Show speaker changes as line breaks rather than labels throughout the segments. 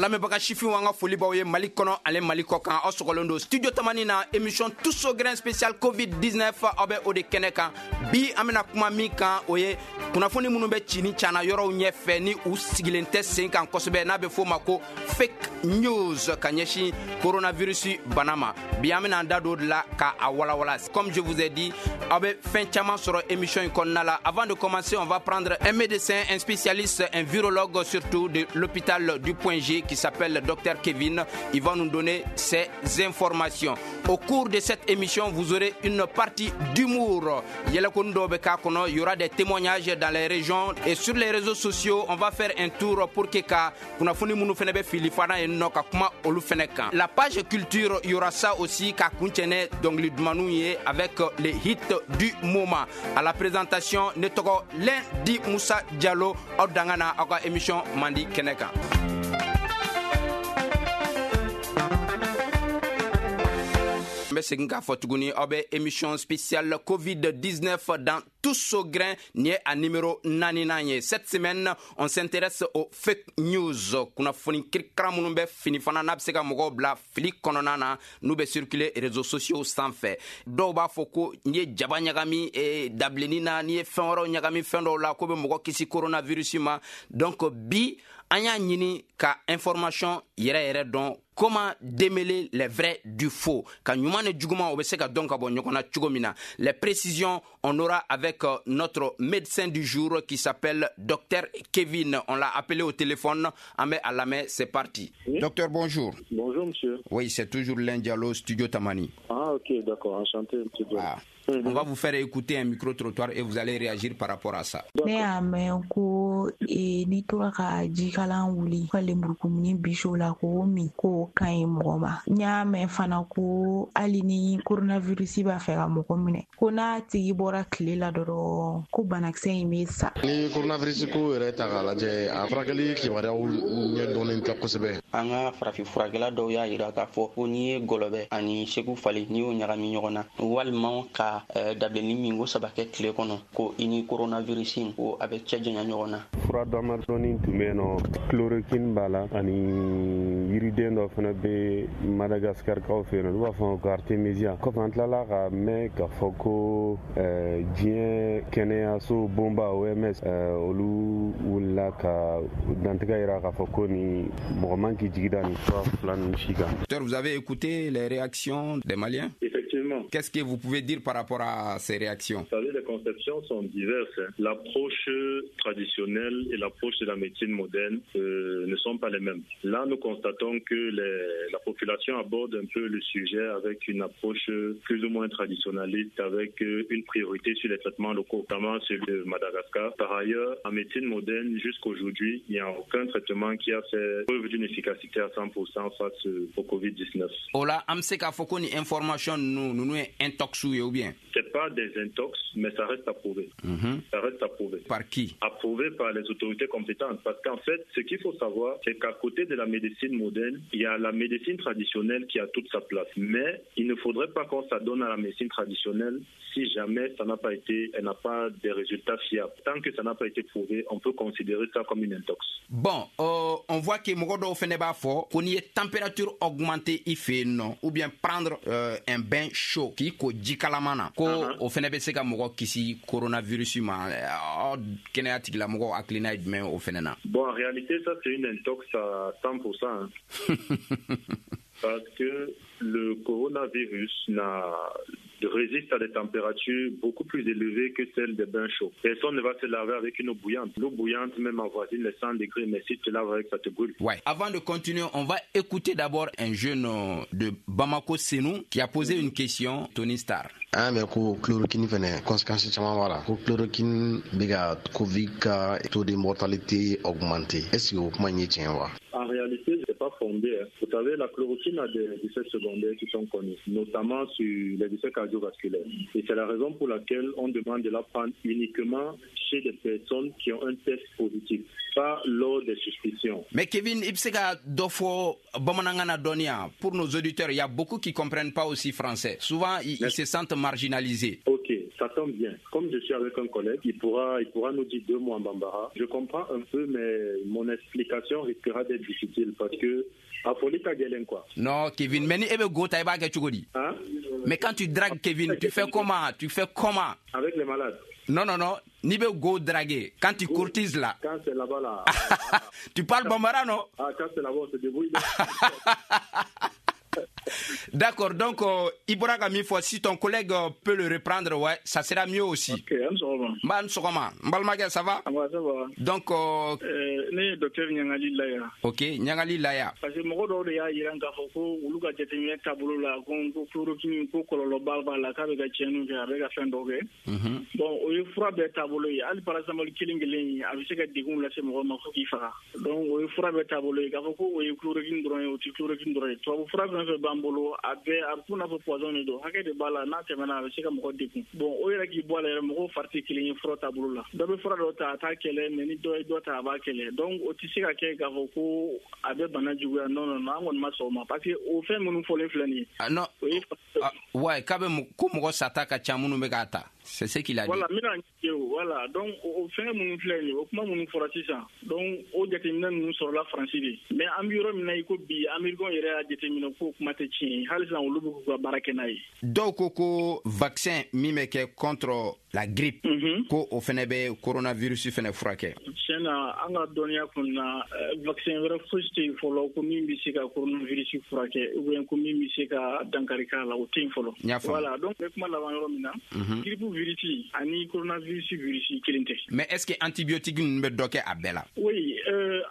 Lamɛnbaga sifinw, an ka foli b'aw ye Mali kɔnɔ ale Mali kɔ kan. Aw sɔgɔlen don Studio Tamani na, émission Tous au grain spécial Covid 19. Aw bɛ o de kɛnɛ kan bi. An bɛna kuma min kan, o ye kunnafoni minnu bɛ ci ni cana yɔrɔw ɲɛfɛ ni u sigilen tɛ sen kan kosɛbɛ, n'a bɛ f'o ma ko fake news, ka ɲɛsin coronavirus bana ma. Bi, an bɛna an da don o de la ka a walawala. Comme je vous ai dit, aw bɛ fɛn caman sɔrɔ émission in kɔnɔna la. Avant de commencer, on va prendre un médecin, un spécialiste, un virologue surtout, de l'hôpital du Point G, qui s'appelle Dr Kevin. Il va nous donner ses informations. Au cours de cette émission, vous aurez une partie d'humour. Yɛlɛkoni dɔw bɛ k'a kɔnɔ, il y aura des témoignages dans les régions et sur les réseaux sociaux. On va faire un tour pour que ka kunnafoni minnu fɛnɛ bɛ fili fana yen nɔ, ka kuma olu fɛnɛ kan. La page culture, il y aura ça aussi, ka kuncɛ ni dɔnkili dumanniw ye avec les hits du moment. À la présentation, ne tɔgɔ Lundi Musa Diallo. Aw danga na aw ka émission mandi kɛnɛ kan. N bɛ segin k'a fɔ tuguni, aw bɛ émission spéciale Covid-19 dans Tous au grain. Nin ye a numéro naaninan ye. Cette semaine, on s'intéresse aux fake news, kunnafoni kirikara minnu bɛ fini fana n'a bɛ se ka mɔgɔw bila fili kɔnɔna na, n'u bɛ circuler réseaux sociaux sanfɛ. Dɔw b'a fɔ ko n'i ye jaba ɲagami dabilennin na, n'i ye fɛn wɛrɛw ɲagami fɛn dɔw la, ko bɛ mɔgɔ kisi coronavirus ma. Donc bi, an y'a ɲini ka information yɛrɛ yɛrɛ dɔn, comment démêler les vrais du faux, ka ɲuman ni juguman o bɛ se ka dɔn ka bɔ ɲɔgɔn na cogo min na. Les précisions, on aura avec notre médecin du jour qui s'appelle Dr Kevin. On l'a appelé au téléphone, an bɛ a lamɛn. C'est parti.
Oui.
Docteur, bonjour.
Bonjour, monsieur.
Oui, c'est toujours Diallo, Studio Tamani.
Ah, ok, d'accord, enchanté, monsieur Diallo.
Ah. On va vous faire écouter un micro-trottoir et vous allez réagir par rapport à ça.
Ne y'a mɛn ko n'i tora ka jikalan wuli ka lemurukumuni bisi o la k'o min, k'o ka ɲi mɔgɔ ma. N y'a mɛn fana ko hali ni coronavirus b'a fɛ ka mɔgɔ minɛ, ko n'a tigi bɔra tile la dɔrɔn, ko banakisɛ in bɛ sa.
Ni coronavirus ko yɛrɛ ta k'a lajɛ, a furakɛli kibaruyaw ɲɛ dɔnnen tɛ kosɛbɛ.
An ka farafin furakɛla dɔw y'a yira k'a fɔ ko n'i ye gɔlɔbɛ ani segu falen, n'i y'o ɲagami ɲɔgɔn na, walima ka dabilenni min ko saba kɛ tile kɔnɔ, ko i ni coronavirus in, ko a bɛ cɛ janya ɲɔgɔn na.
Fura damadɔni tun bɛ yen nɔ, chloroquine b'a la, ani yiriden dɔ fana bɛ Madagascar kaw fɛ yen nɔ, n'u b'a fɔ ko artemisia. Kɔfɛ, an tilala ka mɛn k'a fɔ ko diɲɛ kɛnɛyaso bonba OMS, olu wulila ka dantigɛ yira k'a fɔ ko nin mɔgɔ man k'i jigi da nin fura fila ninnu si kan.
Docteur, vous avez écouté les réactions des Maliens?
Effectivement.
Qu'est-ce que vous pouvez dire par rapport à ces réactions?
Vous savez, les conceptions sont diverses, hein. L'approche traditionnelle et l'approche de la médecine moderne ne sont pas les mêmes. Là, nous constatons que la population aborde un peu le sujet avec une approche plus ou moins traditionnaliste, avec une priorité sur les traitements locaux, notamment celui de Madagascar. Par ailleurs, en médecine moderne, jusqu'aujourd'hui, il n'y a aucun traitement qui a fait preuve d'une efficacité à 100% face au Covid-19.
O la, an bɛ se k'a fɔ ko ni information ninnu ye intox ye ou bien?
C'est pas des intox, mais ça reste à prouver. Ça reste à prouver.
Par qui?
Approuvé par les autorités compétentes. Parce qu'en fait, ce qu'il faut savoir, c'est qu'à côté de la médecine moderne, il y a la médecine traditionnelle qui a toute sa place. Mais il ne faudrait pas qu'on s'adonne à la médecine traditionnelle si jamais ça n'a pas été, elle n'a pas des résultats fiables. Tant que ça n'a pas été prouvé, on peut considérer ça comme une intox.
Bon, on voit que mɔgɔ dɔw fɛnɛ b'a fɔ ko n'i ye température augmenter i fɛ yen nɔ, ou bien prendre un bain chaud, k'i ko ji kalaman na, ko o fɛnɛ bɛ se ka mɔgɔ kisi coronavirus ma. Aw kɛnɛya tigilamɔgɔw hakilina ye jumɛn o fɛnɛ na?
Bon, en réalité, ça c'est une intox à 100%, hein. Parce que le coronavirus résiste à des températures beaucoup plus élevées que celles des bains chauds. Personne ne va se laver avec une eau bouillante. L'eau bouillante même avoisine les 100 degrés, mais si tu te laves avec, ça te brûle.
Ouais. Avant de continuer, on va écouter d'abord un jeune de Bamako, Senou, qui a posé une question, Tony Star.
An mɛn ko chloroquine fɛnɛ, conséquence caman b'a la, ko chloroquine bɛ ka Covid ka taux de mortalité augmenter. Est ce que o kuma in ye tiɲɛ wa?
En réalité, c'est pas fondé, hein. Vous savez, la chloroquine a des effets secondaires qui sont connus, notamment sur les effets cardiovasculaires. Et c'est la raison pour laquelle on demande de la prendre uniquement chez des personnes qui ont un test positif, pas lors des suspicions.
Mais Kevin, i bɛ se ka dɔ fɔ bamanankan na dɔɔni pour nos auditeurs? Il y a beaucoup qui comprennent pas aussi français. Souvent, ils se sentent marginalisés.
Ok. Ok, ça tombe bien. Comme je suis avec un collègue, il pourra nous dire 2 mots en bambara. Je comprends un peu, mais mon explication risquera d'être difficile parce que a foli ka gɛlɛn quoi.
Non, Kevin, mais ni e bɛ go ta i b'a kɛ cogo di?
Hein?
Mais quand tu dragues Kevin, tu fais comment? Tu fais comment?
Avec les malades.
Non, non, non. Ni bɛ go draguer, quand tu courtises là.
Quand c'est là-bas là.
Tu parles bambara, non?
Ah, quand c'est là-bas, on se débrouille.
D'accord, donc i bɔra ka min fɔ, si ton collègue peut le reprendre, ouais, ça sera mieux aussi.
Ok, an sɔgɔma.
N b'a sɔgɔma. N balimakɛ, ça va?
Ça va, ça va.
Donc
ne ye docteur Ɲangali Laya.
Ok, Ɲangali Laya.
Parce que mɔgɔ dɔw de y'a yira k'a fɔ ko olu ka jateminɛ taabolo la ko chloroquine ko kɔlɔlɔba b'a la, k'a bɛ ka tiɲɛniw kɛ, a bɛ ka fɛn dɔw kɛ. Bon, o ye fura bɛɛ taabolo ye. Hali paracétamol kelen kelen a bɛ se ka degun lase mɔgɔ ma fo k'i faga. Donc o ye fura bɛɛ taabolo ye. K'a fɔ ko o ye chloroquine dɔrɔn ye, o tɛ chloroquine dɔrɔn ye. Tubabu fura fɛn fɛn b'an bolo, a bɛɛ a bɛ n'a fɔ poison de don, hakɛ de b'a la, n'a tɛmɛna a bɛ se ka mɔgɔ degun. Bon, o yɛrɛ k'i bɔ a la yɛrɛ, mɔgɔw fari tɛ kelen ye fura taabolo la. Dɔ bɛ fura dɔ ta a t'a kɛlɛ, mais ni dɔ ye dɔ ta a b'a kɛlɛ. Donc o tɛ se ka kɛ k'a fɔ ko a bɛ bana juguya. Non non non, an kɔni ma sɔn o ma, parce que o fɛn minnu fɔlen filɛ nin ye.
Ah non,
o ye
ouais, k'a bɛ ko mɔgɔ sata ka ca minnu bɛ k'a ta. C'est ce qu'il a dit.
Voilà, n bɛna voilà, donc o fɛn minnu filɛ nin ye, o kuma minnu fɔra sisan, donc o jateminɛ ninnu sɔrɔla Faransi de. Mais an bɛ yɔrɔ min na i ko bi, Américains yɛrɛ y'a jateminɛ k'o kuma tɛ tiɲɛ ye, hali sisan olu bɛ k'u ka baara kɛ n'a ye.
Dɔw ko ko vaccin min bɛ kɛ contre la grippe, ko o fɛnɛ bɛ coronavirus fɛnɛ furakɛ.
Tiɲɛ na, an ka dɔnniya kɔnɔna, vaccin wɛrɛ fosi tɛ yen fɔlɔ ko min bɛ se ka coronavirus furakɛ ou bien ko min bɛ se ka dankari k'a la, o tɛ yen fɔlɔ. Voilà, donc n bɛ kuma laban yɔrɔ min na, grippe virus ani coronavirus virus kelen tɛ.
Mais est-ce que antibiotique ninnu bɛ dɔ kɛ a bɛɛ la?
Oui,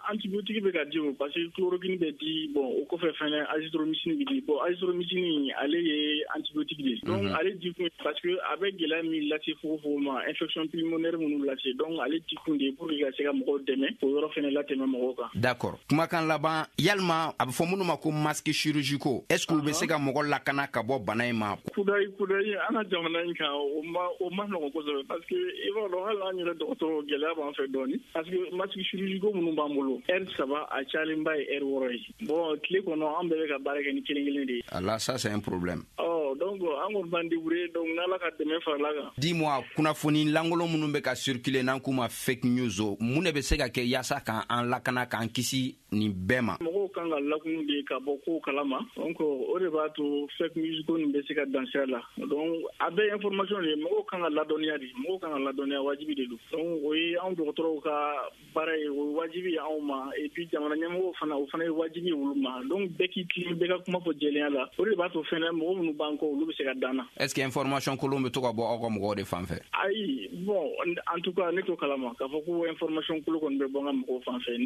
antibiotique bɛ ka di o, parce que chloroquine bɛ di, bon o kɔfɛ fɛnɛ azithromycine bɛ di. Bon, azithromycine ale ye antibiotique de ye. Donc ale di kun parce que a bɛ gɛlɛya min lase fogofogo ma, infection pulmonaire minnu lase, donc ale di kun de ye pour que ka se ka mɔgɔw dɛmɛ o yɔrɔ fɛnɛ latɛmɛ mɔgɔw kan.
D'accord. Kumakan laban, yalima a bɛ fɔ minnu ma ko masque chirurgicaux, est-ce que u bɛ se ka mɔgɔ lakana ka bɔ bana in ma?
Kudayi kudayi, an ka jamana in kan o ma nɔgɔn kosɛbɛ, parce que i b'a dɔn hali an yɛrɛ dɔgɔtɔrɔ gɛlɛya b'an fɛ dɔɔni, parce que masque chirurgicaux minnu b'an bolo, heure 3 a cayalenba ye heure 6 ye. Bon, tile kɔnɔ an bɛɛ bɛ ka baara kɛ ni kelen kelen de ye.
Ah là, ça c'est un problème.
Oh, donc an kɔni b'an débrouiller, donc n'Ala ka dɛmɛ farala kan.
Dis-moi, kunnafoni lankolon minnu bɛ ka circuler n'an k'u ma fake news, mun de bɛ se ka kɛ yaasa k'an lakana, k'an kisi nin bɛɛ ma?
Mɔgɔw kan ka lakunu de ka bɔ kow kalama, donc o de b'a to fake news ko nin bɛ se ka dan sira la. Donc a bɛɛ information de ye, mɔgɔw kan ka ladɔnniya de, mɔgɔw kan ka ladɔnniya, wajibi de don. Donc o ye anw dɔgɔtɔrɔw ka baara ye, o ye wajibi ye anw ma, et puis jamana ɲɛmɔgɔw fana, o fana ye wajibi ye olu ma. Donc bɛɛ k'i tilen, bɛɛ ka kuma fɔ jɛlenya la, o de b'a to fɛnɛ mɔgɔ minnu b'an kɔ olu bɛ se ka dan na.
Est-ce que information kolon bɛ to ka bɔ aw ka mɔgɔw de fan fɛ?
Ayi, bon, en tout cas ne t'o kalama k'a fɔ ko information kolon kɔni bɛ bɔ n ka mɔgɔw fan fɛ,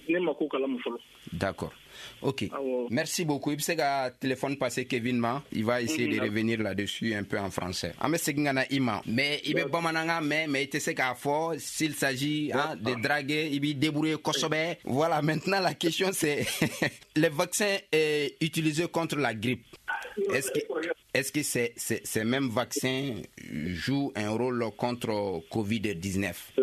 ne ma ko kalama fɔlɔ.
D'accord. Ok. Merci beaucoup. I bɛ se ka téléphone passer Kevin ma. Il va essayer de revenir là-dessus un peu en français. An bɛ segin ka na i ma. Mais i bɛ bamanankan mɛn, mais i tɛ se k'a fɔ s'il s'agit, hein, de draguer, i b'i débrouiller kosɛbɛ. Voilà, maintenant la question c'est les vaccins utilisés contre la grippe. Est-ce que ces mêmes vaccins jouent un rôle contre Covid-19?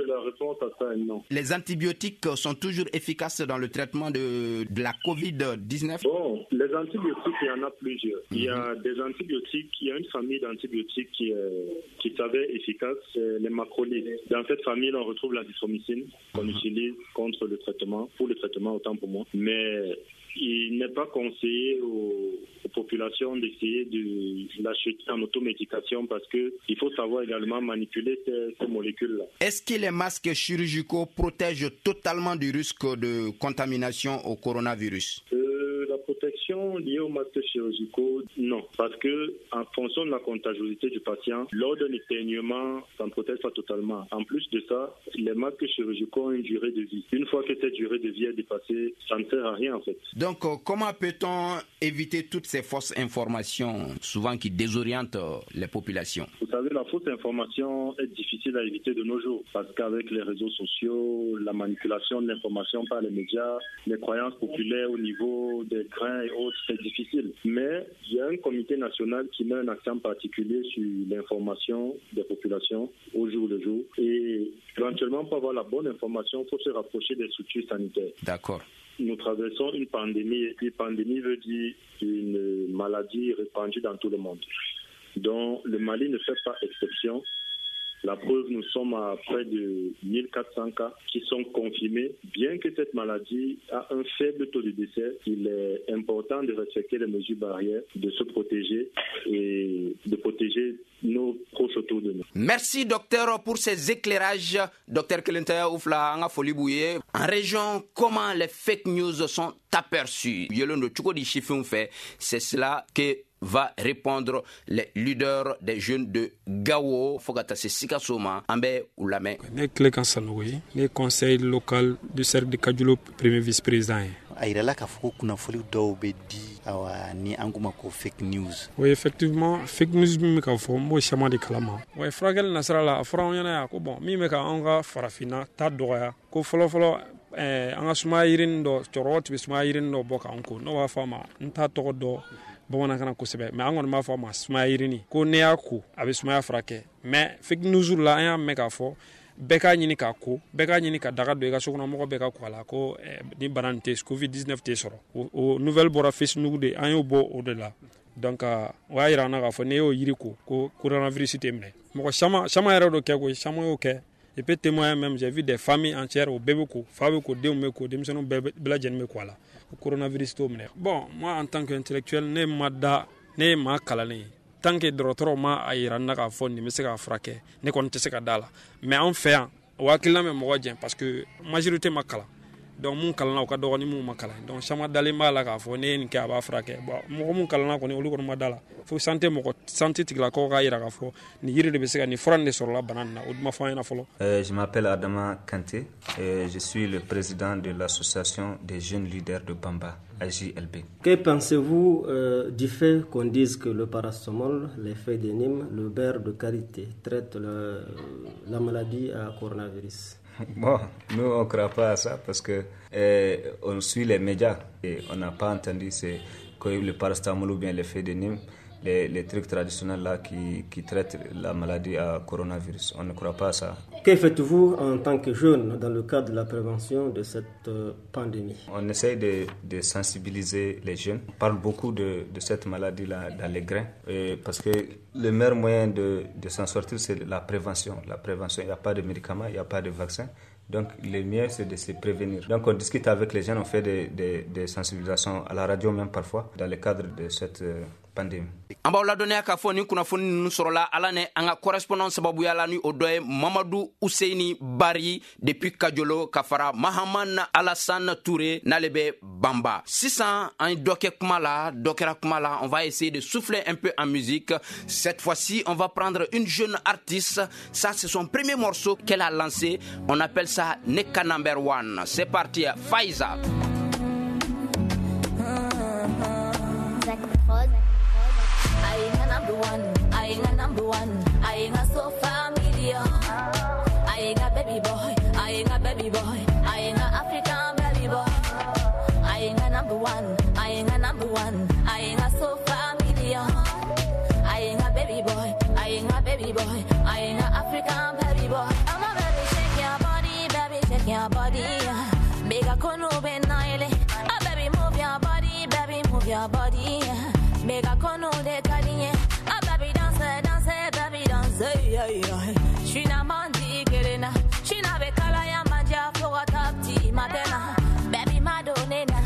La réponse à ça est non.
Les antibiotiques sont toujours efficaces dans le traitement de la Covid-19?
Bon, les antibiotiques, il y en a plusieurs. Il y a des antibiotiques, il y a une famille d'antibiotiques qui s'avère efficace, c'est les macrolides. Dans cette famille, on retrouve l'azithromycine qu'on utilise contre le traitement, pour le traitement autant pour moi. Mais il n'est pas conseillé aux populations d'essayer de l'acheter en automédication parce que il faut savoir également manipuler ces molécules-là.
Est-ce que les masques chirurgicaux protègent totalement du risque de contamination au coronavirus?
La protection liée aux masques chirurgicaux, non. Parce que, en fonction de la contagiosité du patient, lors d'un éternuement, ça ne protège pas totalement. En plus de ça, les masques chirurgicaux ont une durée de vie. Une fois que cette durée de vie est dépassée, ça ne sert à rien en fait.
Donc, comment peut-on éviter toutes ces fausses informations, souvent qui désorientent les populations?
Vous savez, la fausse information est difficile à éviter de nos jours, parce qu'avec les réseaux sociaux, la manipulation de l'information par les médias, les croyances populaires au niveau des grains et autres, c'est difficile. Mais il y a un comité national qui met un accent particulier sur l'information des populations au jour le jour. Et éventuellement, pour avoir la bonne information, il faut se rapprocher des structures sanitaires.
D'accord.
Nous traversons une pandémie, et puis pandémie veut dire une maladie répandue dans tout le monde. dont le Mali ne fait pas exception. La preuve, nous sommes à près de 1400 cas qui sont confirmés. Bien que cette maladie a un faible taux de décès, il est important de respecter les mesures barrières, de se protéger et de protéger nos proches autour de nous.
Merci docteur pour ces éclairages. Docteur Kelenta Oufla, an ka foli b'u ye. En région, comment les fake news sont aperçues? Yelen don cogo di sifinw fɛ? C'est cela que va répondre les leaders des jeunes de Gao fo ka taa se Sikaso ma. An bɛ u lamɛn.
Ne Tilekan Sanogo ye, ne conseil local du cercle de Kadiolo premier vice-président ye.
A yirala k'a fɔ ko kunnafoni dɔw bɛ di, awa, ni an k'u ma ko fake news.
Oui, effectivement, fake news min bɛ ka fɔ, n b'o caman de kalama. Wa furakɛli nasira la, a fɔra anw ɲɛna yan ko bon, min bɛ ka anw ka farafinna ta dɔgɔya, ko fɔlɔ-fɔlɔ an ka sumaya yirini dɔ, cɛkɔrɔbaw tun bɛ sumaya yirini dɔ bɔ k'an ko, n'o b'a fɔ a ma, n t'a tɔgɔ dɔn bamanankan na kosɛbɛ, mais an kɔni b'a fɔ a ma sumaya yirini, ko n'i y'a ko a bɛ sumaya furakɛ. Mais fake news la, an y'a mɛn k'a fɔ bɛɛ k'a ɲini k'a ko, bɛɛ k'a ɲini ka daga don i ka so kɔnɔ, mɔgɔ bɛɛ ka ko a la, ko ni bana nin tɛ, Covid 19 tɛ sɔrɔ. O nouvelle bɔra Facebook de, an y'o bɔ o de la. Donc o y'a yira an na k'a fɔ n'i y'o yiri ko, ko coronavirus tɛ minɛ. Mɔgɔ caman caman yɛrɛ d'o kɛ koyi, caman y'o kɛ. Je peux témoigner même, j'ai vu des familles entières, o bɛɛ bɛ ko, fa bɛ ko, denw bɛ ko, denmisɛnninw bɛɛ lajɛlen bɛ ko a la, ko coronavirus t'o minɛ. Bon, moi en tant qu'intellectuel, ne ma da, ne ye maa kalannen ye, tant que dɔgɔtɔrɔw ma a yira n na k'a fɔ nin bɛ se k'a furakɛ, ne kɔni tɛ se ka da la. Mais an fɛ yan, o hakilina bɛ mɔgɔ jɛn parce que majorité ma kalan. Donc mun kalanna, o ka dɔgɔ ni mun ma kalan. Donc caman dalen b'a la k'a fɔ ne ye nin kɛ, a b'a furakɛ. Bon, mɔgɔ mun kalanna kɔni, olu kɔni ma da la fo santé mɔgɔ, santé tigilakaw k'a yira k'a fɔ nin yiri de bɛ se ka nin fura nin de sɔrɔla bana nin na. O ma fɔ an ɲɛna fɔlɔ.
Je m'appelle Adama Kanté et je suis le président de l'association des jeunes leaders de Bamba, AJLB.
Que pensez-vous du fait qu'on dise que le paracétamol, les feuilles de neem, le beurre de karité traitent la maladie à coronavirus?
Bon, nous, on ne croit pas à ça parce que on suit les médias et on n'a pas entendu que le paracétamol ou bien les feuilles de neem, les trucs traditionnels là qui traitent la maladie à coronavirus. On ne croit pas à ça.
Que faites-vous en tant que jeune dans le cadre de la prévention de cette pandémie?
On essaye de sensibiliser les jeunes. On parle beaucoup de cette maladie-là dans les grains et parce que le meilleur moyen de s'en sortir, c'est la prévention. La prévention, il n'y a pas de médicaments, il n'y a pas de vaccin. Donc, le mieux, c'est de se prévenir. Donc, on discute avec les jeunes, on fait des sensibilisations à la radio même parfois, dans le cadre de cette pandémie.
An b'aw ladɔnniya k'a fɔ nin kunnafoni ninnu sɔrɔla ala ni an ka correspondant sababuya la, ni o dɔ ye Mamadu Useyini Bari depuis Kajolo, ka fara Mahaman Alassane Touré n'ale bɛ Banba. Sisan an ye dɔ kɛ kuma la, dɔ kɛra kuma la, on va essayer de souffler un peu en musique. Cette fois-ci, on va prendre une jeune artiste. Ça, c'est son premier morceau qu'elle a lancé. On appelle ça Neka Number One. C'est parti, Faiza.
I ain't a number one, I ain't a number one, I ain't a so familiar. I ain't a baby boy, I ain't a baby boy, I ain't a African baby boy. I ain't a number one, I ain't a number one, I ain't a so familiar. I ain't a baby boy, I ain't a baby boy, I ain't a African baby boy. I'm a baby, shake your body, baby, shake your body. Make a kono be naile. Ah, baby, move your body, baby, move your body. Make a kono de kaliye. Ah, baby, dance, dance, baby, dance. Yeah, yeah. Shina mandi kerena. Shina be kala ya manja for tapti matena. Baby, madonena.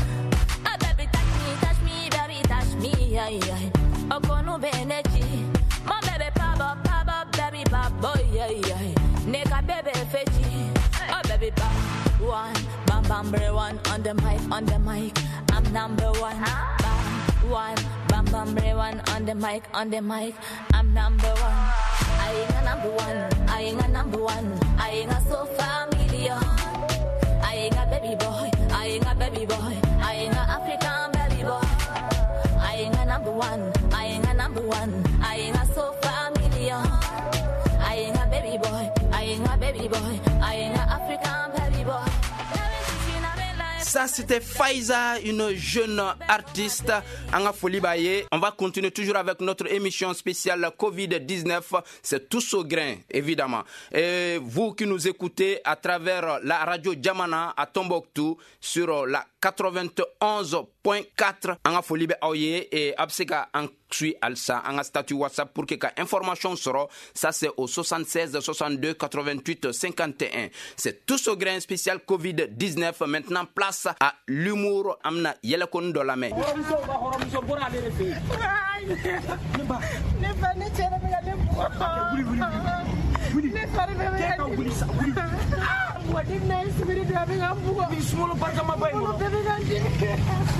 Ah, baby, touch me, baby, touch me. Yeah, yeah. Okono benechi. My baby, pop up, baby, pop boy. Yeah, yeah. Neka baby fechi. Oh, baby, pop one. Bam, bam, bam, one on the mic, on the mic. I'm number one. Bam, one. Bam, bam, one on the mic, on the mic. I'm number one. I ain't a number one. I ain't a number one. I ain't a so familiar. I ain't a baby boy. I ain't a baby boy. I ain't a African baby boy. I ain't a number one. I ain't a number one. I ain't a so familiar. I ain't a baby boy. I ain't a baby boy. I ain't a African baby boy.
Ça, c'était Faiza, une jeune artiste. An ka foli b'a ye. On va continuer toujours avec notre émission spéciale Covid-19. C'est tous au grain, évidemment. Et vous qui nous écoutez à travers la radio Jamana à Tombouctou sur la 91. 102.4. An ka foli bɛ aw ye et a bɛ se ka an suit halisa an ka statut WhatsApp pour que ka information sɔrɔ. Ça, c'est au 76 62 88 51. C'est Tous au grain spécial Covid-19. Maintenant, place à l'humour. An bɛna yɛlɛkoni dɔ lamɛn.
Hɔrɔnmuso ka hɔrɔnmuso bɔra ale de fɛ yen.
Ne ba, ne fa, ne cɛ de bɛ ka ne bugɔ.
Wuli, wuli, wuli.
Ne fari bɛɛ bɛ
ka
ka
wuli sa, wuli.
Wa depuis n'a ye sibiri don, a bɛ ka n bugɔ.
Ni sunkalo barikama ba in
Kɔnɔ
kɔnɔ.
bɛɛ bɛ ka n dimi.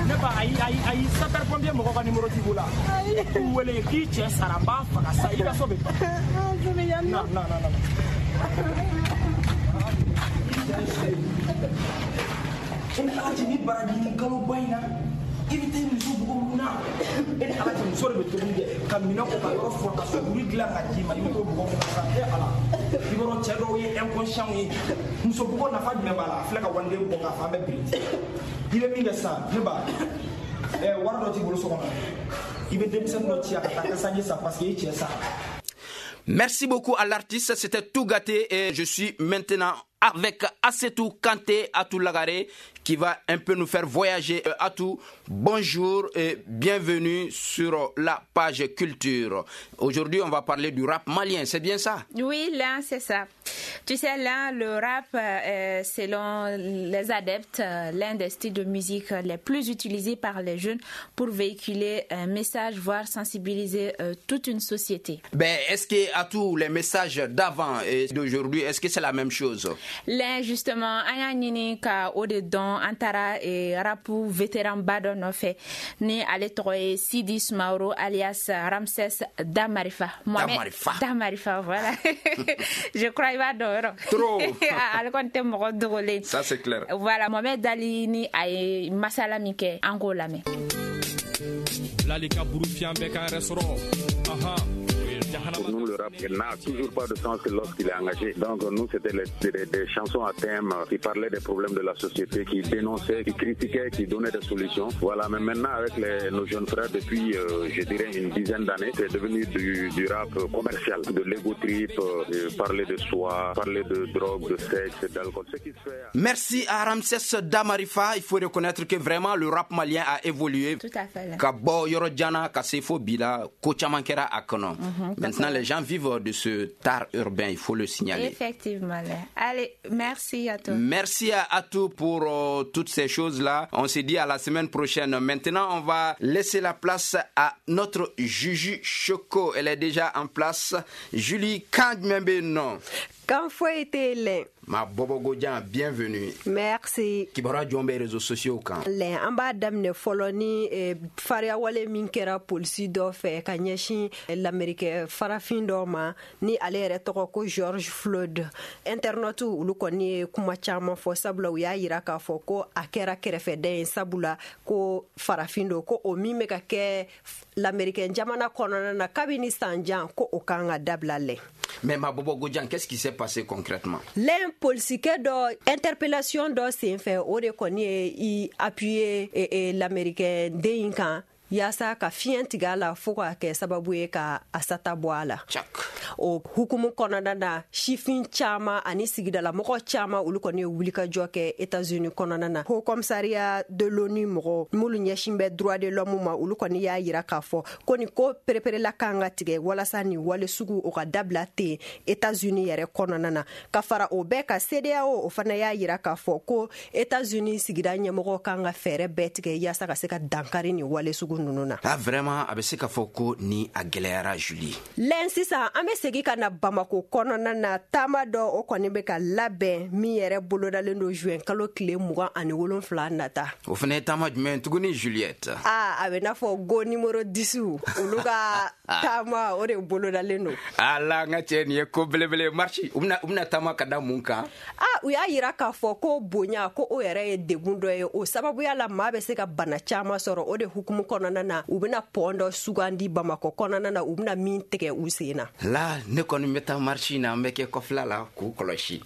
Ne ba, ayi, ayi, ayi, sapeur pompier mɔgɔ ka numéro t'i bolo wa?
Ayi.
K'u wele k'i cɛ sara, n b'a faga sa, i ka so bɛ ban.
Je bɛ yan nɔ.
Non, non, non, non. E ni Ala cɛ, ni baraji ni kaloba in na, i bɛ taa i muso bugɔ mun na? E ni Ala cɛ, muso de bɛ tobili kɛ ka minɛn ko, ka yɔrɔ furan, ka sokuru dilan ka d'i ma, i bɛ t'o bugɔ mun na sa? E Ala, i b'a dɔn cɛ dɔw ye inconscient ye. Muso bugɔ nafa jumɛn b'a la? A filɛ ka waliden bɔ k'a fan bɛɛ biriki. I bɛ min kɛ sisan, ne ba, ɛ, wari dɔ t'i bolo so kɔnɔ, i bɛ denmisɛnnin dɔ ci a ka taa kasange san parce que i cɛ sara.
Merci beaucoup à l'artiste, c'était tout gâté et je suis maintenant avec Assetou Kanté Atou Lagaré qui va un peu nous faire voyager. Atou, bonjour et bienvenue sur la page culture. Aujourd'hui, on va parler du rap malien, c'est bien ça?
Oui, là, c'est ça. Tu sais, là, le rap, selon les adeptes, l'un des styles de musique les plus utilisés par les jeunes pour véhiculer un message, voire sensibiliser toute une société.
Ben, est-ce que, Atou, les messages d'avant et d'aujourd'hui, est-ce que c'est la même chose?
Là, justement, an y'a ɲini ka o de dɔn. An taara rap vétéran ba dɔ nɔfɛ ni ale tɔgɔ ye Sidi Sumaworo alias Ramsès Damarifa. Mohamed
Damarifa.
Damarifa, voilà. Je crois i b'a dɔn yɔrɔ.
Trop.
Ale kɔni tɛ mɔgɔ dogolen.
Ça, c'est clair.
Voilà, Mohamed Ali ni a ye masala min kɛ, an k'o lamɛn.
Lalika burufiyan bɛɛ k'an yɛrɛ sɔrɔ. Ahan.
Pour nous, le rap n'a toujours pas de sens que lorsqu'il est engagé. Donc nous, c'était des chansons à thème qui parlaient des problèmes de la société, qui dénonçaient, qui critiquaient, qui donnaient des solutions. Voilà, mais maintenant, avec nos jeunes frères, depuis, je dirais, une dizaine d'années, c'est devenu du rap commercial, de l'ego trip, parler de soi, parler de drogue, de sexe, d'alcool, ce qui se fait.
Merci à Ramsès Damarifa. Il faut reconnaître que vraiment le rap malien a évolué.
Tout à fait.
Ka bɔ yɔrɔ jan na ka se fo bi la, ko caman kɛra a kɔnɔ. Maintenant, les gens vivent de ce art urbain, il faut le signaler.
Effectivement. Là. Allez, merci à toi.
Merci à Atou pour toutes ces choses-là. On se dit à la semaine prochaine. Maintenant, on va laisser la place à notre Juju Choco. Elle est déjà en place. Julie Kandmembe, non.
Kan foyi tɛ yen lɛ.
Ma Bobo Godian, bienvenue.
Merci.
Kibaruya jɔn bɛ réseaux sociaux kan?
Lɛ, an b'a daminɛ fɔlɔ ni fariyawale min kɛra polisi dɔ fɛ ka ɲɛsin lamerikɛ farafin dɔ ma ni ale yɛrɛ tɔgɔ ko George Floyd. Internaute olu kɔni ye kuma caman fɔ, sabula u y'a yira k'a fɔ ko a kɛra kɛrɛfɛdɛn ye, sabula ko farafin don, ko o min bɛ ka kɛ lamerikɛn jamana kɔnɔna na kabini san jan, ko o kan ka dabila lɛ.
Mais ma Bobo Godian, qu'est-ce qui s'est passé concrètement?
Lɛn, polisikɛ dɔ interpellation dɔ sen fɛ, o de kɔni ye i appuyer lamerikɛn den in kan yaasa ka fiɲɛ tigɛ a la fo ka kɛ sababu ye ka a sata bɔ a la. O hukumu kɔnɔna na, sifin caman ani sigidalamɔgɔ caman, olu kɔni ye wulikajɔ kɛ Etats-Unis kɔnɔna na. Haut Commissariat de l'ONU mɔgɔ minnu ɲɛsin bɛ droit de l'homme ma, olu kɔni y'a yira k'a fɔ ko nin ko pereperela kan ka tigɛ walasa nin wale sugu o ka dabila ten Etats-Unis yɛrɛ kɔnɔna na. Ka fara o bɛɛ ka, CEDEAO o fana y'a yira k'a fɔ ko Etats-Unis sigida ɲɛmɔgɔ kan ka fɛɛrɛ bɛɛ tigɛ yaasa ka se ka dankari nin wale sugu ninnu na.
Ah, vraiment, a bɛ se k'a fɔ ko ni a gɛlɛyara, Julie.
Lɛn, sisan an bɛ segin ka na Bamako kɔnɔna na. Taama dɔ o kɔni bɛ ka labɛn min yɛrɛ bolodalen don juin kalo tile 27 nata.
O fana ye taama jumɛn tuguni, Juliette?
Aa, a bɛ n'a fɔ go numéro 10, olu ka taama o de bolodalen don.
Ala, n ka cɛ, nin ye ko belebele. Marche, u bɛna taama ka da mun kan?
A u y'a yira k'a fɔ ko bonya ko o yɛrɛ ye degun dɔ ye, o sababuya la maa bɛ se ka bana caman sɔrɔ. O de hukumu kɔnɔna na, u bɛna pont dɔ sugandi Bamakɔ kɔnɔna na, u bɛna min tigɛ u sen na.
La cas, ne kɔni bɛ taa marche in na, an bɛ kɛ kɔfɛla la k'u kɔlɔsi.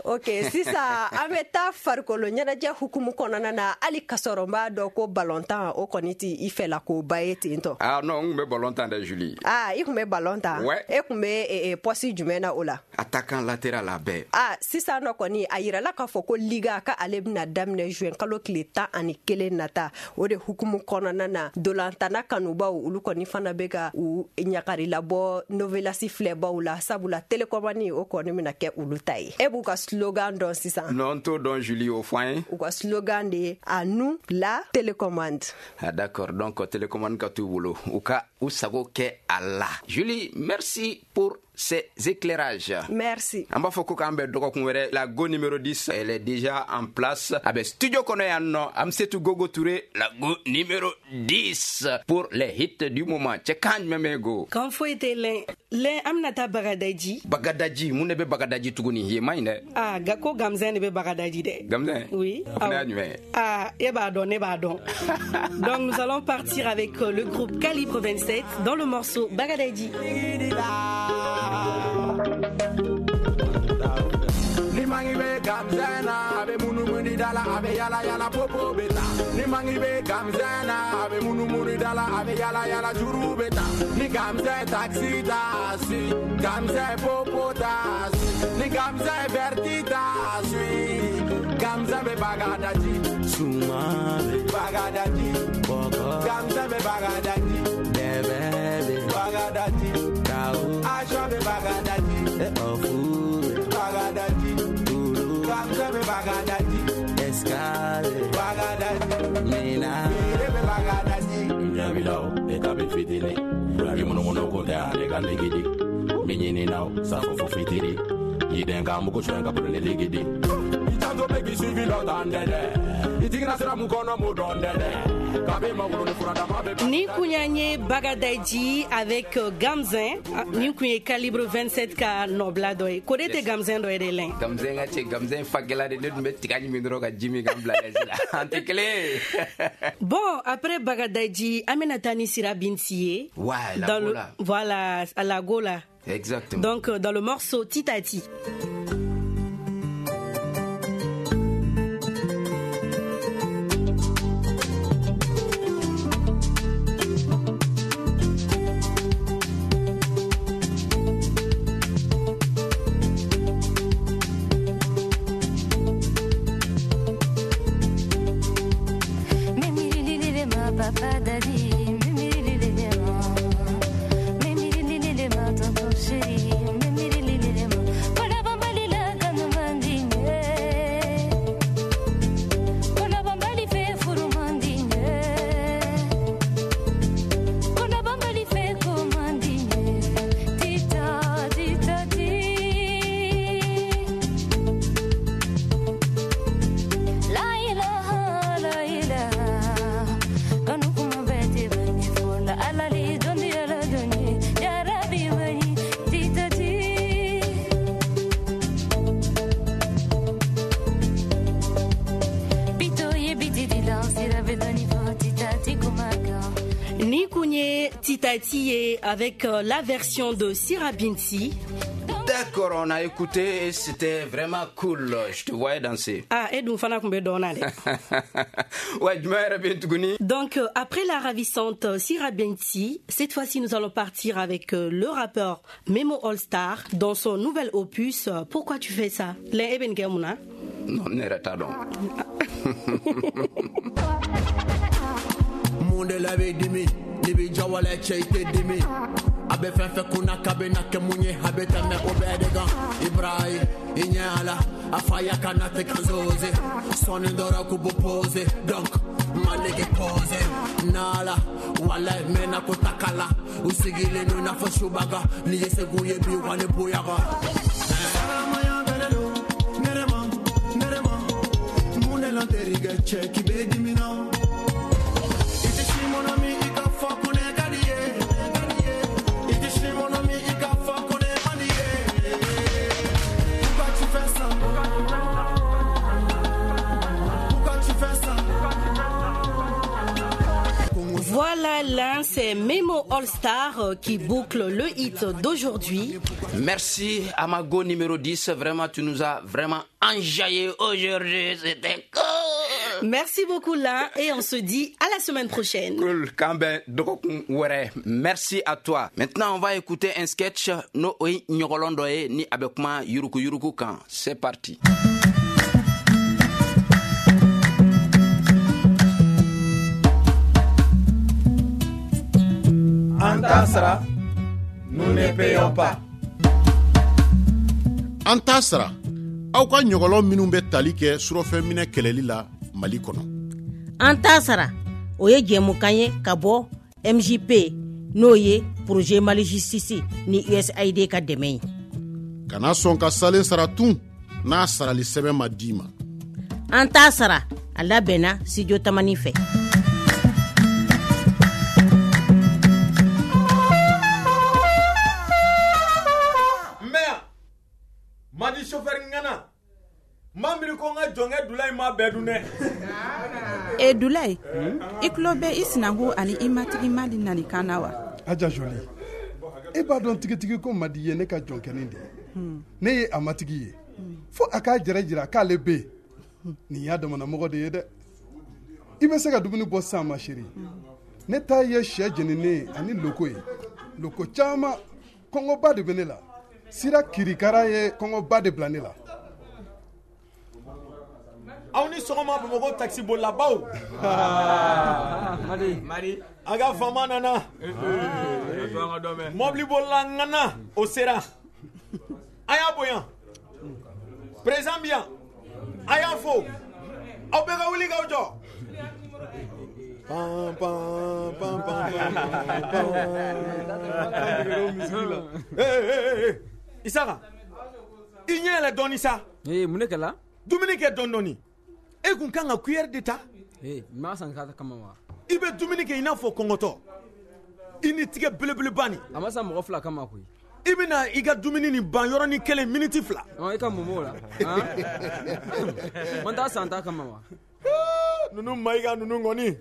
Ok, sisan an bɛ taa farikolo ɲɛnajɛ hukumu kɔnɔna na, hali kasɔrɔ n b'a dɔn ko balontan o kɔni ti i fɛla koba ye ten tɔ.
Ah non, n kun bɛ ballon tan dɛ, Julie.
Ah, i kun bɛ ballon tan?
Ouais.
E kun bɛ poste jumɛn na o la?
Attaquant latéral a bɛɛ.
Ah, sisan nɔ kɔni a yirala k'a fɔ ko liga ka ale bɛna daminɛ juin kalo tile 11 nata. O de hukumu kɔnɔna na, dolantana kanubaw olu kɔni fana bɛ ka u ɲagari labɔ novelasi filɛbaw la, sabula télécommande o kɔni bɛna kɛ olu ta ye. E b'u ka slogan dɔn sisan?
Non, n t'o dɔn, Julie, o fɔ an ye.
U ka slogan de ye à nous la télécommande.
Ah d'accord, donc télécommande ka t'u bolo, u ka u sago kɛ a la. Julie, merci pour ces éclairages.
Merci.
An b'a fɔ ko k'an bɛn dɔgɔkun wɛrɛ. La go numéro 10, elle est déjà en place. A bɛ studio kɔnɔ yan nɔ. Amsetu Gogo Touré, la go numéro 10 pour les hits du moment. Cɛ kan jumɛn bɛ go?
Kan foyi tɛ lɛn. Lɛn, an bɛna taa Bagadaji.
Bagadaji, mun de bɛ Bagadaji tuguni? Yen man ɲi dɛ.
Ah, ko Gamzɛn de bɛ Bagadaji dɛ.
Gamzɛn?
Oui.
O fana y'a jumɛn ye?
Ah, e b'a dɔn, ne b'a dɔn. Donc nous allons partir avec le groupe Calibre 27 dans le morceau Bagadaji.
Ni mangi be gamzena, abe munu muni dala, abe yala yala popo beta. Ni mangi be gamzena, abe munu muni dala, abe yala yala juru beta. Ni gamze taxi taxi, gamze popo taxi, ni gamze verti taxi, gamze be bagadaji,
sumare
bagadaji,
boko,
gamze be bagadaji,
bebe
bagadaji,
kao,
ajo be bagadaji,
ofure
bagadaji, gamze be bagadaji,
escale
bagadaji,
mina
be bagadaji.
Nyabilao etabe fitini, ragi mono mono kote ane galigidi, minyini nao safo fitiri, yidenga muko shwenga pulele ligidi.
Itanzo begi suivi lodandede, itigina sira mukono mudondede.
Ni Kounyange Bagadaji avec Gamzin, ni Kounye Calibre 27 ka nobla doy. Kode te Gamzin doy de lin.
Gamzin ka che Gamzin fagela de ne dum tigani min dro ka Jimmy Gambla la. Antekele.
Bon, après Bagadaji, Aminata ni Sira Bintié.
Ouais, la
dans
Gola.
Le, voilà, à la Gola.
Exactement.
Donc dans le morceau Titati. Titati avec la version de Sira Binti.
D'accord, on a écouté et c'était vraiment cool. Je te voyais danser.
Ah, et donc, fana kumbe dona le.
Ouais, je me.
Donc, après la ravissante Sira Binti, cette fois-ci, nous allons partir avec le rappeur Memo All Star dans son nouvel opus Pourquoi tu fais ça? Les Eben Gemuna.
Non, ne retardons.
Monde la be dimi, ni bi jawale che te dimi. Abe fen fe kuna kabe na ke munye habe teme obedega. Ibrahim inyala afaya kana te kanzoze. Soni ndora kubo pose donc malege pose. Nala wala mena kutakala usigile nuna foshubaga ni yeseguye bi wane buyaga.
Salamaya belelo nerema nerema munela teriga cheki bedimina.
Voilà, là, c'est Memo All Star qui boucle le hit d'aujourd'hui.
Merci Amago numéro 10, vraiment tu nous as vraiment enjaillé aujourd'hui, c'était cool.
Merci beaucoup là et on se dit à la semaine prochaine.
Cool, Kamben dɔgɔkun wɛrɛ. Merci à toi. Maintenant on va écouter un sketch n'o ye ɲɔgɔlɔn dɔ ye ni a bɛ kuma yuruku yuruku kan. C'est parti.
An t'a sara, nous ne payons pas.
An t'a sara, aw ka ɲɔgɔlɔn minnu bɛ tali kɛ surɔfɛnminɛ kɛlɛli la Mali kɔnɔ.
An t'a sara, o ye jɛmukan ye ka bɔ MJP n'o ye projet Mali Justice ni USAID ka dɛmɛ ye.
Kana sɔn ka salen sara tun n'a sarali sɛbɛn ma d'i ma.
An t'a sara, a labɛnna Studio Tamani fɛ.
Madi chauffeur ŋana ma miiri ko n ka jɔnkɛ Dulayi ma bɛɛ dun dɛ.
E Dulayi, i tulo bɛ i sinankun ani i matigi Mali nalikan na wa?
Aja Jolie, e b'a dɔn tigitigi ko Madi ye ne ka jɔnkɛnin de ye. Ne ye a matigi ye. Fo a k'a jɛrɛ jira k'ale bɛ yen. Nin y'a damanamɔgɔ de ye dɛ. I bɛ se ka dumuni bɔ sisan ma chérie. Ne ta ye sɛ jeninen ani loko ye. Loko caman, kɔngɔba de bɛ ne la. Sira kirikara ye kɔngɔba de bila ne la.
Aw ni sɔgɔma Bamakɔ taxi bolilabaw. Madi. A ka faama nana. Mɔbili bolila ŋana o sera. A y'a bonya. Président bi yan. A y'a fo. Aw bɛɛ ka wuli k'aw jɔ. Pan pan pan pan pan. Ee Isaka, i ɲɛ yɛlɛ dɔɔni sa.
Ee mun de kɛla?
Dumuni kɛ dɔɔni dɔɔni. E kun kan ka cuillère de ta.
Ee n m'a san k'a kama wa?
I bɛ dumuni kɛ i n'a fɔ kɔngɔtɔ. I ni tigɛ belebeleba nin.
A ma san mɔgɔ fila kama koyi.
I bɛna i ka dumuni nin ban yɔrɔnin kelen miniti 2.
Ɔ i ka mun b'o la? Man t'a san ta kama wa?
Ninnu Mayiga ninnu kɔni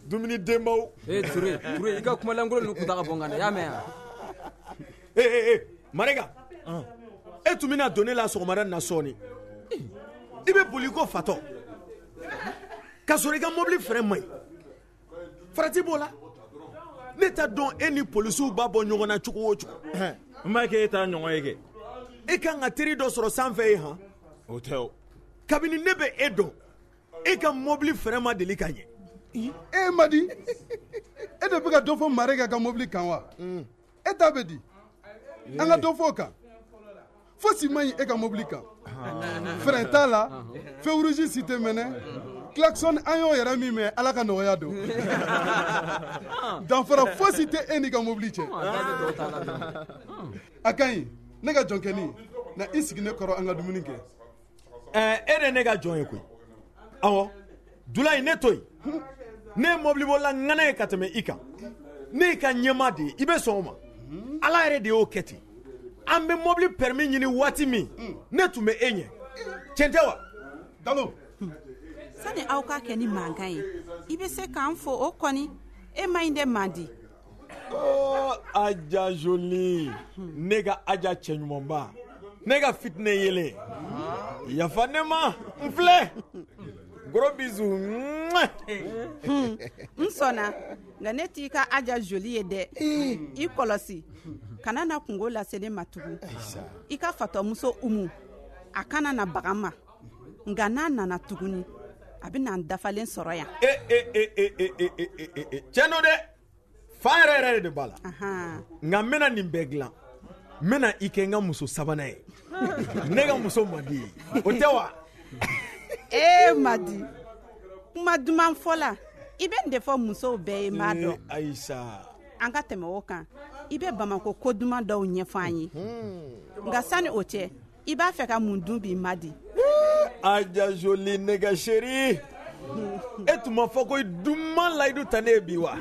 dumuni denbaw.
Ee Ture i ka kumalankolon ninnu kun ta ka bɔ n kan dɛ, i y'a mɛn wa?
Ee Marega, e tun bɛna don ne la sɔgɔmada in na sɔɔni. I bɛ boli ko fatɔ. K'a sɔrɔ i ka mobili frein man ɲi. Farati b'o la. Ne t'a dɔn e ni polisiw b'a bɔ ɲɔgɔn na cogo o cogo.
N b'a kɛ e t'a ɲɔgɔn ye kɛ.
E kan ka teri dɔ sɔrɔ sanfɛ ye han.
O tɛ o.
Kabini ne bɛ e dɔn, e ka mobili frein ma deli ka ɲɛ.
E Madi, e de bɛ ka dɔ fɔ Marega ka mobili kan wa? E ta bɛ di? An ka dɔ fɔ o kan. Fosi man ɲi e ka mobili kan. Frein t'a la, feu rouge si tɛ mɛnɛ, klaxon an y'o yɛrɛ min mɛn Ala ka nɔgɔya don. Danfara fosi tɛ e n'i ka mobili cɛ. A ka ɲi, ne ka jɔnkɛnin, na i sigi ne kɔrɔ an ka dumuni kɛ.
E de ne ka jɔn ye koyi. Awɔ, Dulayi ne to yen. Ne ye mobilibolila ŋana ye ka tɛmɛ i kan. Ne y'i ka ɲɛmaa de ye, i bɛ sɔn o ma. Ala yɛrɛ de y'o kɛ ten. An bɛ mobili permis ɲini waati min, ne tun bɛ e ɲɛ. Tiɲɛ tɛ wa?
Dalo.
Sani aw ka kɛ ni mankan ye, i bɛ se k'an fo o kɔni, e ma ɲi dɛ Mandi.
Oh, Aja Jolie, ne ka Aja cɛɲumanba, ne ka fitinɛ yelen. Yafa ne ma, n filɛ. Gros bisous.
N sɔnna, nka ne t'i ka Aja Jolie ye dɛ. I kɔlɔsi, kana na kungo lase ne ma tugun. I ka fatɔmuso Umu, a kana na baga n ma. Nka n'a nana tuguni, a bɛ na n dafalen sɔrɔ yan.
Tiɲɛ don dɛ, fa yɛrɛ yɛrɛ de b'a la. Nka n bɛna nin bɛɛ dilan. N bɛna i kɛ n ka muso sabanan ye. Ne ka muso man di ye, o tɛ wa?
Ee Madi, kuma duman fɔ la, i bɛ nin de fɔ musow bɛɛ ye, n b'a dɔn.
Ayisa.
An ka tɛmɛ o kan, i bɛ Bamakɔ ko duman dɔw ɲɛfɔ an ye. Nka sani o cɛ, i b'a fɛ ka mun dun bi Madi?
Aja Jolie ne ka chérie, e tun ma fɔ ko i duman layidu ta ne ye bi wa?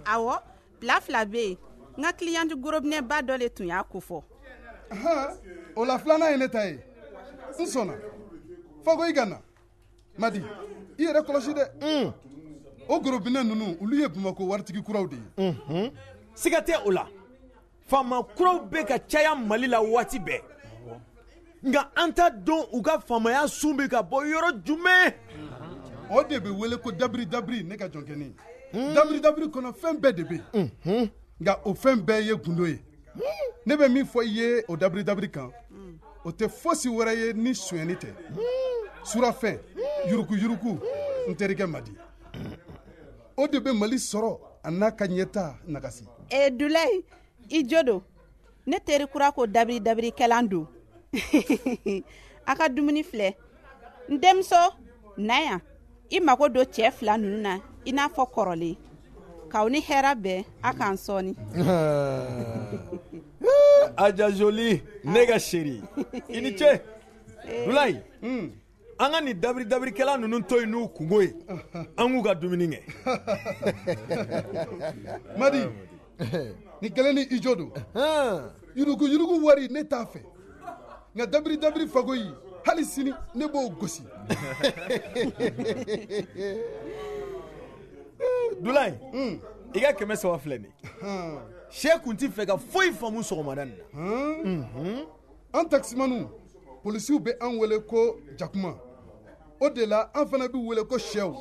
Awɔ, plat 2 bɛ yen. N ka client gorobinɛba dɔ de tun y'a ko fɔ.
O la filanan ye ne ta ye. N sɔnna. Fɔ ko i ka na. Madi, i yɛrɛ kɔlɔsi dɛ. O gorobinɛ ninnu, olu ye Bamakɔ waritigi kuraw de ye.
Siga tɛ o la, faama kuraw bɛ ka caya Mali la waati bɛɛ, nka an t'a dɔn u ka faamaya sun bɛ ka bɔ yɔrɔ jumɛn.
O de bɛ wele ko dabiri dabiri, ne ka jɔnkɛni. Dabiri dabiri kɔnɔ, fɛn bɛɛ de bɛ yen, nka o fɛn bɛɛ ye gundo ye. Ne bɛ min fɔ i ye o dabiri dabiri kan, o tɛ fosi wɛrɛ ye ni sonyɛni tɛ. Surafɛn, yuruguyurugu, n terikɛ Madi, o de bɛ Mali sɔrɔ a n'a ka ɲɛta nagasi.
E Dulayi, i jo don. Ne teri kura ko dabiri dabirikɛlan don. A ka dumuni filɛ. N denmuso, na yan, i mago don cɛ fila ninnu na i n'a fɔ kɔrɔlen. K'aw ni hɛrɛ bɛn, a k'an sɔɔni.
Aja Joli, ne ka chérie, i ni ce. Dulayi, an ka nin dabiri dabirikɛla ninnu to yen n'u kungo ye, an k'u ka dumuni kɛ.
Madi, ni kelen ni i jo don. Yurugu yurugu wari, ne t'a fɛ, nka dabiri dabiri fagoyi, hali sini ne b'o gosi.
Dulayi, i ka 300 filɛ nin ye. Sɛ kun ti fɛ ka foyi faamu sɔgɔmada nin na.
An takisimaniw, polisiw bɛ an wele ko jakuma, o de la an fana bɛ wele ko sɛw.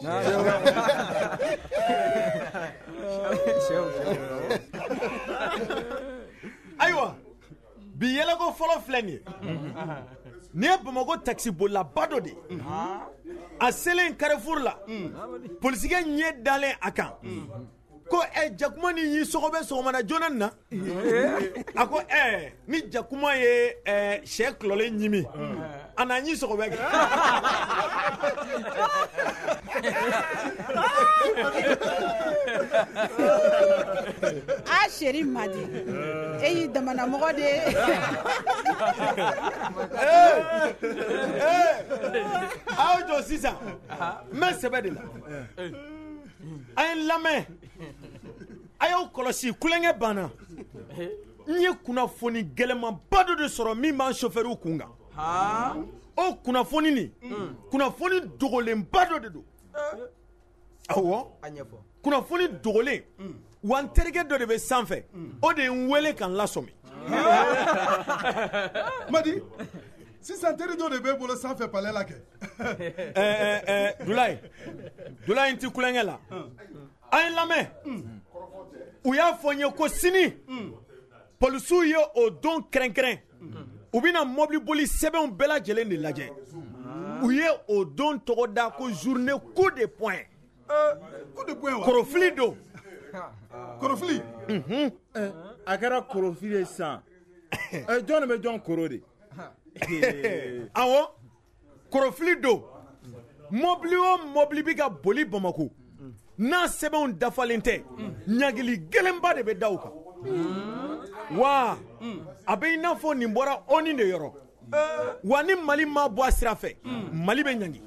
Ayiwa, bi yɛlɛko fɔlɔ filɛ nin ye. Nin ye Bamakɔ takisibolilaba dɔ de ye. A selen Carrefour la, polisikɛ ɲɛ dalen a kan ko ɛ jakuma ni y'i sɔgɔbɛ sɔgɔmada joona nin na. A ko ɛ ni jakuma ye sɛ kulɔlen ɲimi, a n'a ɲi sɔgɔbɛ kɛ.
A chéri Madi, e y'i damana mɔgɔ de ye.
Aw jɔ sisan, n bɛ sɛbɛ de la. A ye n lamɛn, a y'aw kɔlɔsi, kulonkɛ banna. N ye kunnafoni gɛlɛnmanba dɔ de sɔrɔ min b'an chauffeurw kun kan. O kunnafoni nin, kunnafoni dogolenba dɔ de don. Awɔ, kunnafoni dogolen. Wa n terikɛ dɔ de bɛ sanfɛ, o de ye n wele ka n lasɔmi.
Madi, sisan teri dɔ de b'e bolo sanfɛ palais la kɛ.
Dulayi, Dulayi, n ti kulonkɛ la. A ye n lamɛn. U y'a fɔ n ye ko sini polisiw ye o don kɛrɛnkɛrɛn, u bɛna mɔbiliboli sɛbɛnw bɛɛ lajɛlen de lajɛ. U ye o don tɔgɔ da ko journée coup de poing.
Coup de poing wa?
Korofili don.
Korofili?
A kɛra korofili ye sisan. Jɔn de bɛ jɔn koro de?
Awɔ, korofili don. Mɔbili o mɔbili bɛ ka boli Bamakɔ, n'a sɛbɛnw dafalen tɛ, ɲangili gɛlɛnba de bɛ da u kan. Wa a bɛ i n'a fɔ nin bɔra ONU de yɔrɔ. Wa ni Mali ma bɔ a sira fɛ, Mali bɛ ɲangi.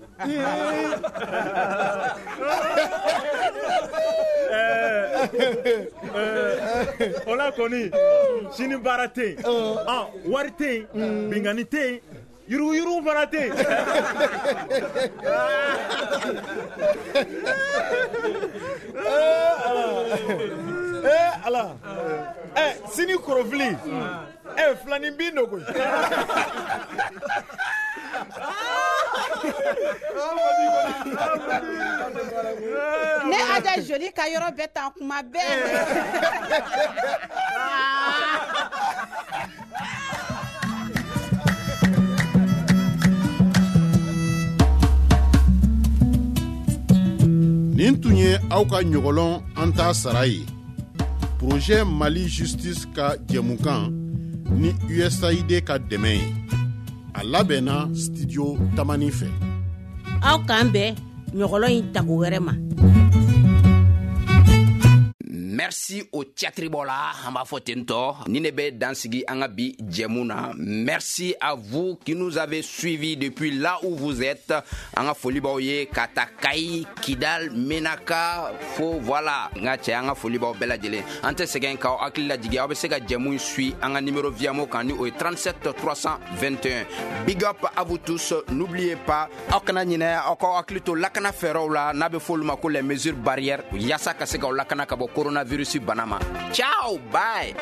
O la kɔni, sini baara tɛ yen, wari tɛ yen, binkanni tɛ yen, yuruguyurugu fana tɛ yen.
Ala, sini korofili, filanin bin don koyi.
Ne Aja Joli ka yɔrɔ bɛɛ tan kuma bɛɛ.
Nin tun ye aw ka ɲɔgɔlɔn an t'a sara ye. Projet Mali Justice ka jɛmukan ni USAID ka dɛmɛ ye. A labɛnna studio Tamani fɛ.
Aw k'an bɛn ɲɔgɔlɔn in tako wɛrɛ ma.
Merci. Merci o cɛtiribɔ la, an b'a fɔ ten tɔ. Ni ne bɛ dan sigi an ka bi jɛmu na. Merci à vous qui nous avez suivis depuis là où vous êtes. An ka foli b'aw ye ka ta Kayi, Kidal, Menaka, fo voilà. N ka cɛ, an ka foli b'aw bɛɛ lajɛlen. An tɛ sɛgɛn k'aw hakili lajigin, aw bɛ se ka jɛmu in suit an ka numéro Viamo kan, ni o ye 37 321. Big up à vous tous. N'oubliez pas, aw kana ɲinɛ aw k'aw hakili to lakana fɛɛrɛw la, n'a bɛ fɔ olu ma ko les mesures barrières, yaasa ka se k'aw lakana ka bɔ coronavirus bana ma. Ciao, bye.